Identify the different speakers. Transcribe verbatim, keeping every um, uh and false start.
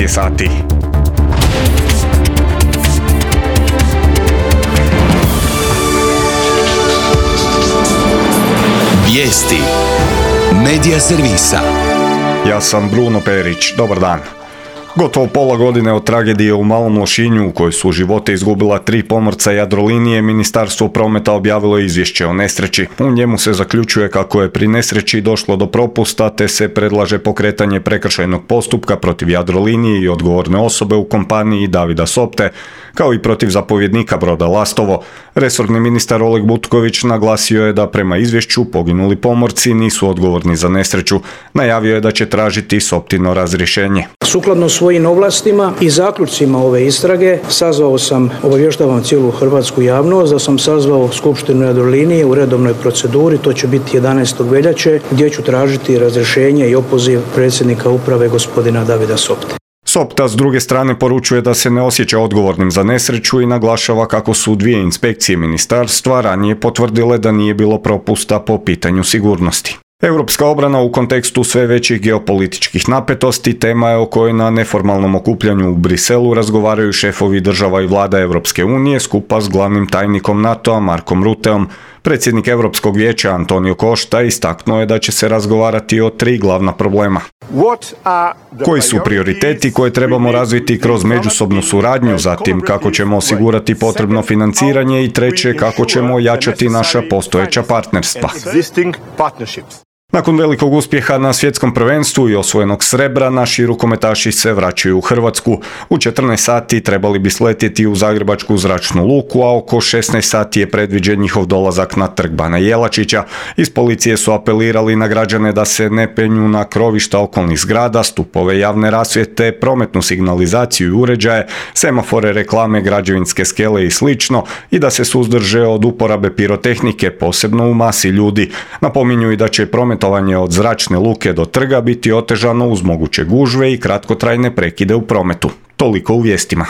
Speaker 1: je sati.
Speaker 2: Vijesti Medija servisa.
Speaker 1: Ja sam Bruno Perić, dobar dan. Gotovo pola godine od tragedije u Malom Lošinju u kojoj su živote izgubila tri pomorca Jadrolinije, Ministarstvo prometa objavilo izvješće o nesreći. U njemu se zaključuje kako je pri nesreći došlo do propusta te se predlaže pokretanje prekršajnog postupka protiv Jadrolinije i odgovorne osobe u kompaniji Davida Sopte, kao i protiv zapovjednika broda Lastovo. Resorni ministar Oleg Butković naglasio je da prema izvješću poginuli pomorci nisu odgovorni za nesreću. Najavio je da će tražiti Soptino razrješenje.
Speaker 3: Sukladno svojim ovlastima i zaključcima ove istrage sazvao sam, obavještavam cijelu hrvatsku javnost, da sam sazvao Skupštinu Jadrolinije u redovnoj proceduri, to će biti jedanaestog veljače, gdje ću tražiti razrješenje i opoziv predsjednika uprave gospodina Davida Sopte.
Speaker 1: Sopta s druge strane poručuje da se ne osjeća odgovornim za nesreću i naglašava kako su dvije inspekcije ministarstva ranije potvrdile da nije bilo propusta po pitanju sigurnosti. Europska obrana u kontekstu sve većih geopolitičkih napetosti tema je o kojoj na neformalnom okupljanju u Briselu razgovaraju šefovi država i vlada Europske unije skupa s glavnim tajnikom NATO-a Markom Rutteom. Predsjednik Europskog vijeća Antonio Costa istaknuo je da će se razgovarati o tri glavna problema. Koji su prioriteti koje trebamo razviti kroz međusobnu suradnju, zatim kako ćemo osigurati potrebno financiranje i treće kako ćemo ojačati naša postojeća partnerstva. Nakon velikog uspjeha na svjetskom prvenstvu i osvojenog srebra, naši rukometaši se vraćaju u Hrvatsku. U četrnaest sati trebali bi sletjeti u Zagrebačku zračnu luku, a oko šesnaest sati je predviđen njihov dolazak na Trg Bana Jelačića. Iz policije su apelirali na građane da se ne penju na krovišta okolnih zgrada, stupove javne rasvjete, prometnu signalizaciju i uređaje, semafore, reklame, građevinske skele i slično i da se suzdrže od uporabe pirotehnike, posebno u masi ljudi. Napominju i da će promet od zračne luke do trga biti otežano uz moguće gužve i kratkotrajne prekide u prometu. Toliko u vijestima.